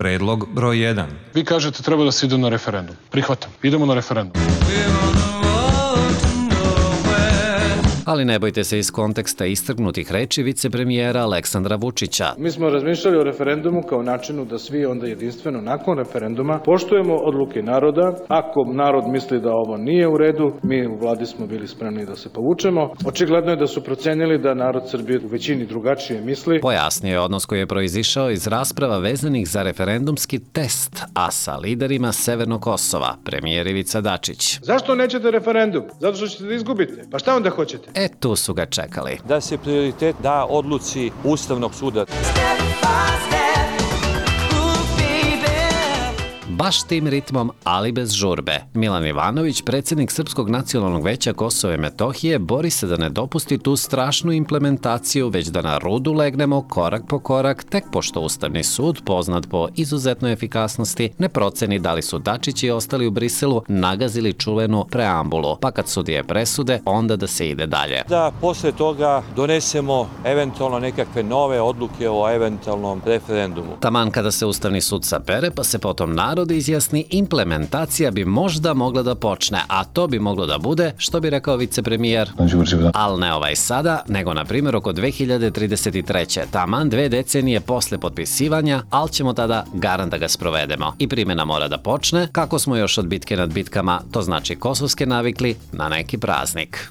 Predlog broj 1. Vi kažete treba da se ide na referendum. Prihvatam. Idemo na referendum. Ali ne bojte se iz konteksta istrgnutih reči vicepremijera Aleksandra Vučića. Mi smo razmišljali o referendumu kao načinu da svi onda jedinstveno nakon referenduma poštujemo odluke naroda. Ako narod misli da ovo nije u redu, mi u vladi smo bili spremni da se povučemo. Očigledno je da su procenili da narod Srbije u većini drugačije misli. Pojasnio je odnos koji je proizišao iz rasprava vezanih za referendumski test, a sa liderima Severnog Kosova, premijer Ivica Dačić. Zašto nećete referendum? Zato što ćete da izgubite. Pa šta onda hoćete? Tu su ga čekali. Da se prioritet da odluci Ustavnog suda. Baš tim ritmom, ali bez žurbe. Milan Ivanović, predsjednik Srpskog nacionalnog veća Kosova i Metohije, bori se da ne dopusti tu strašnu implementaciju, već da na rudu legnemo korak po korak, tek pošto Ustavni sud, poznat po izuzetnoj efikasnosti, ne proceni da li su Dačić i ostali u Briselu nagazili čuvenu preambulu, pa kad sudije presude, onda da se ide dalje. Da posle toga donesemo eventualno nekakve nove odluke o eventualnom referendumu. Taman kada se Ustavni sud sabere, pa se potom narod izjasni, implementacija bi možda mogla da počne, a to bi moglo da bude, što bi rekao vicepremijer, ali ne ovaj sada, nego na primjer oko 2033. Taman 2 decenije posle potpisivanja, ali ćemo tada garant da ga sprovedemo. I primjena mora da počne, kako smo još od bitke nad bitkama, to znači kosovske navikli, na neki praznik.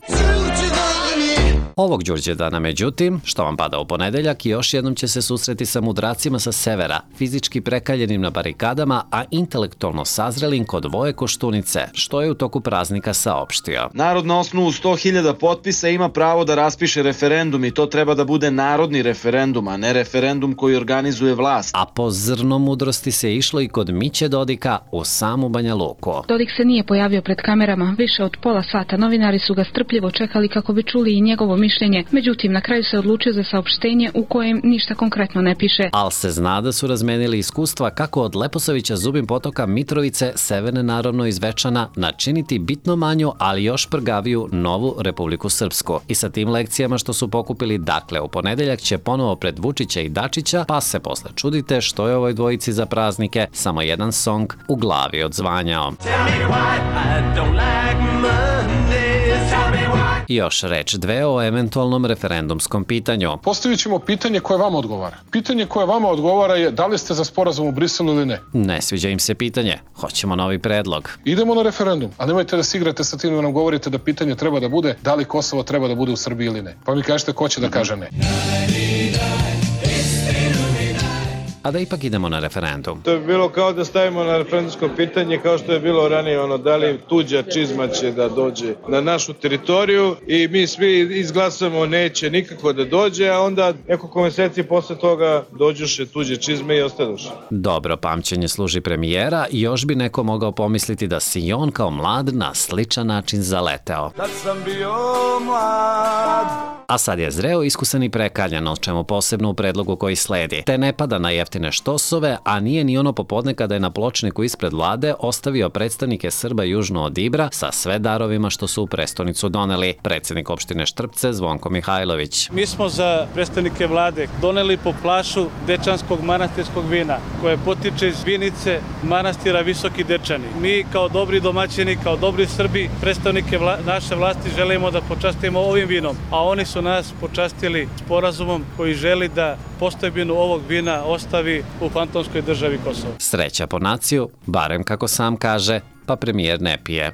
Ovog Đurđevdana, međutim, što vam pada u ponedeljak, još jednom će se susreti sa mudracima sa severa, fizički prekaljenim na barikadama, a intelektualno sazrelim kod Voje Koštunice, što je u toku praznika saopštio. Narod na osnovu 100.000 potpisa ima pravo da raspiše referendum i to treba da bude narodni referendum, a ne referendum koji organizuje vlast. A po zrno mudrosti se išlo i kod Miće Dodika u samu Banja Luku. Dodik se nije pojavio pred kamerama više od pola sata. Novinari su ga strpljivo čekali kako bi čuli i njegovo mišljenje, međutim na kraju se odlučio za saopštenje u kojem ništa konkretno ne piše. Al se zna da su razmenili iskustva kako od Leposavića Zubin Potoka Mitrovice, severne naravno iz Večana, načiniti bitno manju, ali još prgaviju novu Republiku Srpsku. I sa tim lekcijama što su pokupili, dakle u ponedeljak će ponovo pred Vučića i Dačića, pa se posle čudite što je ovoj dvojici za praznike samo jedan song u glavi odzvanjao. Još reč dve o eventualnom referendumskom pitanju. Postavit ćemo pitanje koje vama odgovara. Pitanje koje vama odgovara je da li ste za sporazum u Briselu ili ne. Ne sviđa im se pitanje. Hoćemo novi predlog. Idemo na referendum, a nemojte da se igrate sa tim da nam govorite da pitanje treba da bude da li Kosovo treba da bude u Srbiji ili ne. Pa mi kažete ko će da kaže ne. A da ipak idemo na referendum. To je bilo kao da stavimo na referendumsko pitanje kao što je bilo ranije, da li tuđa čizma će da dođe na našu teritoriju i mi svi izglasamo neće nikako da dođe, a onda nekoliko meseci posle toga dođuše tuđe čizme i ostadoše. Dobro pamćenje služi premijera i još bi neko mogao pomisliti da si i on kao mlad na sličan način zaleteo. Kad sam bio mlad. A sad je zreo, iskusan i prekaljan, o čemu posebno u predlogu koji sledi. Te ne pada na jeftine štosove, a nije ni ono popodne kada je na pločniku ispred vlade ostavio predstavnike Srba južno od Ibra sa sve darovima što su u prestonicu doneli. Predsjednik opštine Štrpce Zvonko Mihajlović. Mi smo za predstavnike vlade doneli po plašu dečanskog manastirskog vina koje potiče iz vinice manastira Visoki Dečani. Mi kao dobri domaćini, kao dobri Srbi, predstavnike naše vlasti želimo da počastimo ovim vinom, a oni su nas počastili sporazumom koji želi da postojbinu ovog vina ostavi u fantomskoj državi Kosovo. Sreća po naciju, barem kako sam kaže, pa premijer ne pije.